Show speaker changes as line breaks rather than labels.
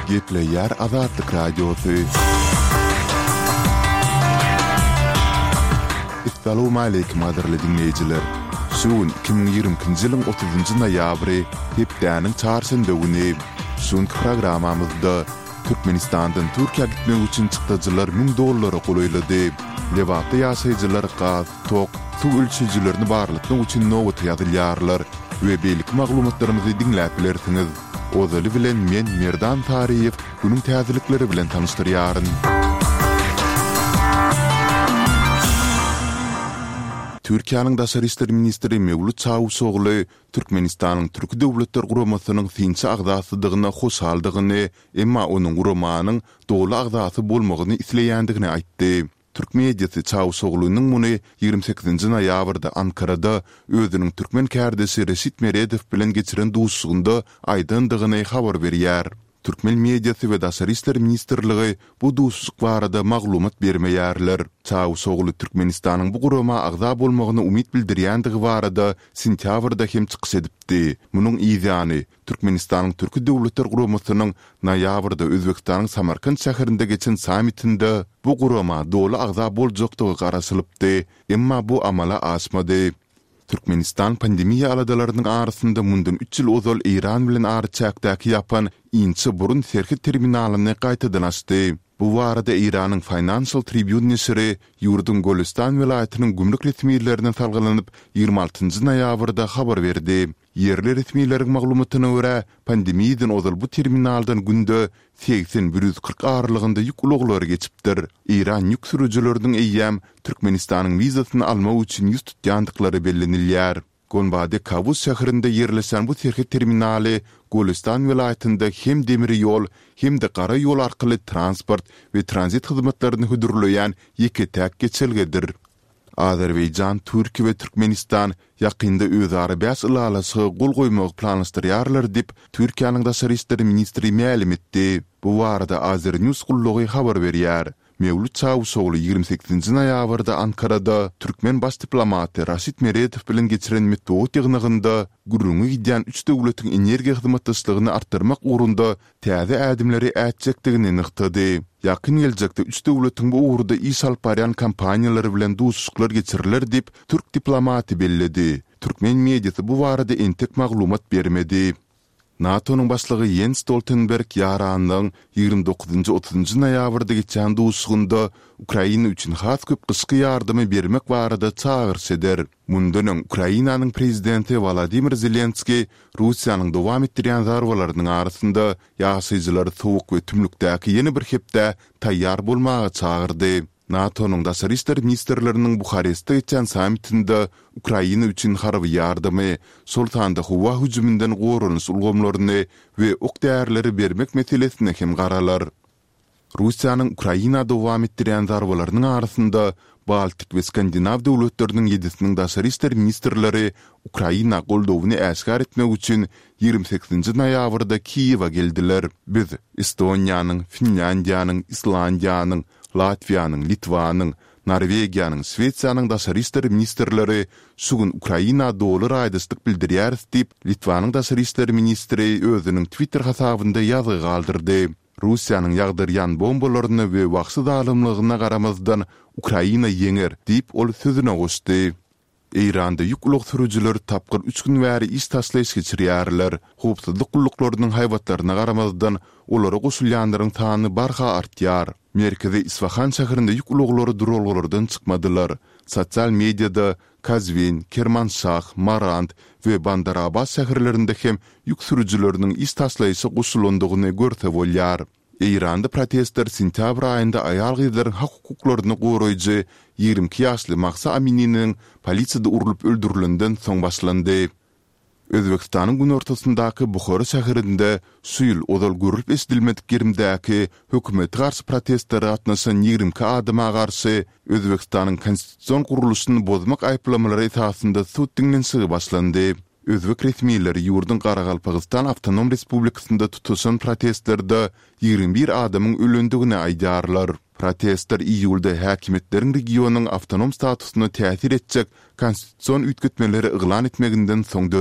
Gepleýär Azatlyk Radiosy. Essalawmaleýkim gadyrly diňleýjiler! Şu gün 2022-nji ýylyň otuzynjy noýabry, hepdäniň çarşenbe güni. Şu günki programmamyzda Türkmenistandan Türkiýä gitmek üçin çykdajylar 1000 dollara golaýlady. Lebapda ýaşaýjylar gaz, tok, suw ölçeýjilerini barlatmak üçin nobata ýazylýarlar we beýleki maglumatlarymyzy diňläp bilersiňiz. Ozaly bilen men Merdan Saryýew günüň täzelikleri bilen tanyşdyrýaryn. Türkiýäniň daşary işler ministri Mewlüt Çawuşogly Türkmenistanyň Türki Döwletler Guramasynyň synçy agzasydygyna hoşaldygyny, emma onuň guramanyň doly agzasy bolmagyny isleýändigini aýtdy. Türk mediasy Çawuşoglunyň muny 28-nji noýabrda Ankarada özüniň türkmen kärdeşi Reşit Meredow bilen geçiren duşuşygynda aýdandygyny habar berýär. Türkmen mediasy we Daşary işler ministrligi bu duşuşyk barada maglumat bermeýärler. Çawuşogly Türkmenistanyň bu gurama agza bolmagyna umyt bildirýändigi barada sentýabrda hem çykyş edipdi. Munuň yzýany, Türkmenistanyň Türki Döwletler Guramasynyň noýabrda Özbegistanyň Samarkant şäherinde geçen sammitinde bu gurama doly agza boljakdygy garaşylypdy, emma bu amala aşmady. Türkmenistan pandemiýa aladalarynyň arasynda mundan üç ýyl ozal Eýran bilen araçäkdäki ýapan Inçe burun serhet terminalyny gaýtadan açdy. Bu barada Eýranyň Financial Tribune neşiri ýurduň Golestan welaýatynyň gümrük resmilerine salgylanyp, 26 noýabrda habar berdi. Ýerli resmileriň maglumatyna görä, pandemiýadan ozal bu terminaldan günde 80, 140 aralygynda ýük ulaglary geçipdir. Eýran ýük sürüjileriniň eýýäm Türkmenistanyň wizasyny almak üçin ýüz tutýandyklary bellenilýär. Gonbade Kawus şäherinde ýerleşen bu serhet terminaly Golestan welaýatynda hem demir ýol, hem-de gara ýol arkaly transport we tranzit hyzmatlaryny hödürleýän ýeke-täk geçelgedir. Azerbaýjan, Türkiýe we Türkmenistan ýakynda özara bäş ylalaşyga gol goýmagy planlaşdyrýarlar diýip, Türkiýäniň daşary işler ministri mälim etdi. Bu barada Azernews gullugy habar berýär. Mewlüt Çawuşogly 28-nji noýabrda Ankarada türkmen baş diplomaty Raşid Meredow bilen geçiren metbugat ýygnagynda gürrüňi gidýän üç döwletiň energiýa hyzmatdaşlygyny artdyrmak ugrunda täze ädimleri ätjekdigini nygtady. Ýakyn geljekde üç döwletiň bu ugurda iş alyp barýan kompaniýalary bilen duşuşyklar geçiriler diýip, türk diplomaty belledi. Türkmen mediasy bu barada entek maglumat bermedi. NATO-nyň başlygy Ýens Stoltenberg ýaranlygyň 29-njy, otuzynjy noýabrda geçýän duşuşygynda Ukraina üçin has köp gyşky ýardamy bermek barada çagyryş eder. Mundan öň, Ukrainanyň prezidenti Wolodymyr Zelenskiý Russiýanyň dowam etdirýän zarbalarynyň arasynda ýaşaýjylary sowuk we tümlükdäki ýene bir hepdä taýýar bolmaga çagyrdy. NATO-nyň daşary işler ministrleriniň Buharestde geçýän sammitinde Ukraina üçin harby ýardamy, şol sanda howa hüjüminden goranyş ulgamlaryny we ok-därileri bermek meselesine hem garalar. Russiýanyň Ukraina dowam etdirýän zarbalarynyň arasynda Baltik we Skandinaw döwletleriniň ýedisiniň daşary işler ministrleri Ukraina goldawyny äşgär etmek üçin 28-nji noýabrda Kiýewe geldiler. Biz, Estoniýanyň, Finlýandiýanyň, Islandiýanyň, Latwiýanyň, Litwanyň, Norwegiýanyň, Şwesiýanyň daşary işler ministrleri şu gün Ukraina doly raýdaşlyk bildirýäris diýip, Litwanyň daşary işler ministri özüniň Twitter hasabynda ýazgy galdyrdy. Russiýanyň ýagdyrýan bombalaryna we wagşy zalymlygyna garamazdan, Ukraina ýeňer, diýip, ol sözüne goşdy. Eýranda ýük ulag sürüjileri tapgyr üç gün bäri iş taşlaýyş geçirýärler. Howpsuzlyk gulluklarynyň haýbatlaryna garamazdan, olara goşulýanlaryň sany barha artýar. Merkezi Isfahan şäherinde ýük ulaglary duralgalardan çykmadylar. Sosial mediada Kazwin, Kermanşah, Marand we Bandar-Abbas şäherlerinde hem ýük sürüjileriniň iş taşlaýşa goşulandygyny görse bolýar. Eýranda protestler sentýabr aýynda aýal-gyzlaryň hak-hukuklaryny goraýjy 22 ýaşly Mahsa Amininiň polisiýada urlup öldürilenden soň başlandy. Özbegistanyň günortasyndaky Buhara şäherinde şu ýyl ozal görlüp-eşidilmedik gerimdäki hökümete garşy protestlere gatnaşan 22 adama garşy Özbegistanyň konstitusion gurluşyny bozmak aýyplamalary esasynda sud diňlenişigi başlandy. Özbek resmileri ýurduň Garagalpagystan awtonom respublikasynda tutaşan protestlerde 21 adamyň ölendigini aýdýarlar. Protestler iýulda häkimiýetleriň regionyň awtonom statusyna täsir etjek konstitusion üýtgetmeleri yglan etmeginden soň döredi.